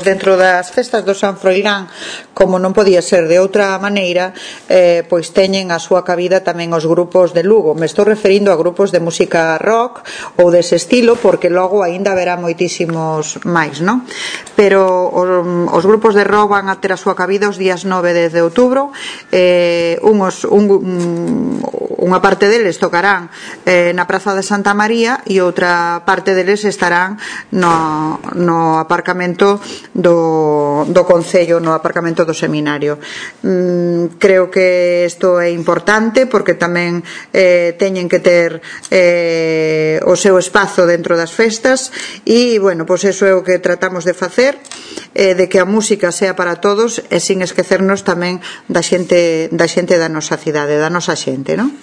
Dentro das festas do San Froilán, como non podía ser de outra maneira, pois teñen a súa cabida tamén os grupos de Lugo. Me estou referindo a grupos de música rock ou dese estilo, porque logo aínda haberá moitísimos máis, non? Pero os grupos de rock van a ter a súa cabida os días 9 e 10 de outubro. Unha parte deles tocarán na Praza de Santa María e outra parte deles estarán no aparcamento do Concello, no aparcamento do Seminario. Creo que isto é importante porque tamén teñen que ter o seu espazo dentro das festas e, bueno, pois eso é o que tratamos de facer, de que a música sea para todos e sin esquecernos tamén da xente da nosa cidade, da nosa xente, non?